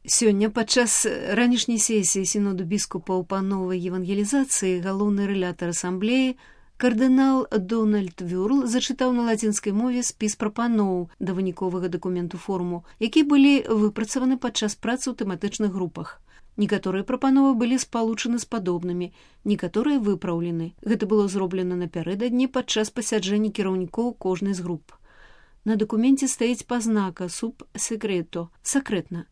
Сёння падчас ранішняй сесіі сіноду біскупаў па новай евангелізацыі галоўны рэлятар асамблеі кардынал Дональд Вёрл зачытаў на лацінскай мове спіс прапаноў да выніковага дакументу форуму, які былі выпрацаваны падчас працы ў тэматычных групах. Некаторыя прапановы былі спалучаны з падобнымі, некаторыя выпраўлены. Гэта было зроблена напярэдадні падчас пасяджэння кіраўнікоў кожнай з груп. На дакуменце стаіць пазнака «Sub secreto» – «сакрэтна».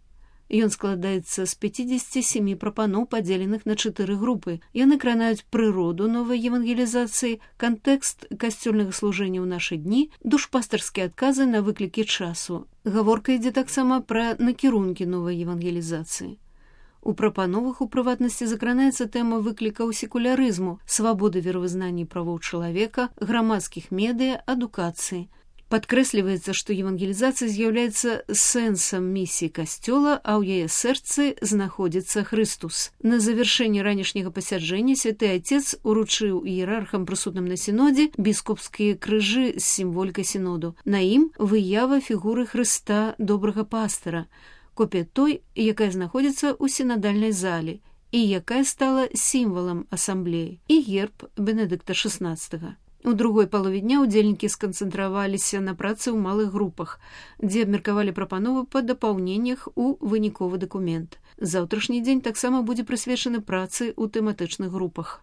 Ён складаецца з 57 прапаноў, падзеленых на 4 групы. Яны кранаюць прыроду новай евангелізацыі, кантэкст касцёльнага служэння ў нашы дні, душпастарскія адказы на выклікі часу. Гаворка ідзе таксама пра накірункі новай евангелізацыі. У прапановах, у прыватнасці, закранаецца тэма выклікаў секулярызму, свабоды веравызнання і правоў чалавека, грамадскіх медыа, адукацыі. Падкрэсліваецца, што евангелізацыя з'яўляецца сэнсам місіі касцёла, а ў яе сэрцы знаходзіцца Хрыстус. На завяршэнне ранішняга пасяджэння святы Отец уручыў іерархам, прысутным на сінодзе, біскупскія крыжы з сімволікай сіноду. На ім выява фігуры Хрыста, добрага пастара, копія той, якая знаходзіцца ў сінадальнай зале і якая стала сімвалам асамблеі, і герб Бенедыкта XVI. У другой палове дня удзельнікі сканцэнтраваліся на працы ў малых групах, дзе абмеркавалі прапановы па дапаўненнях у выніковы дакумент. Заўтрашні дзень таксама будзе прысвечаны працы ў тэматычных групах.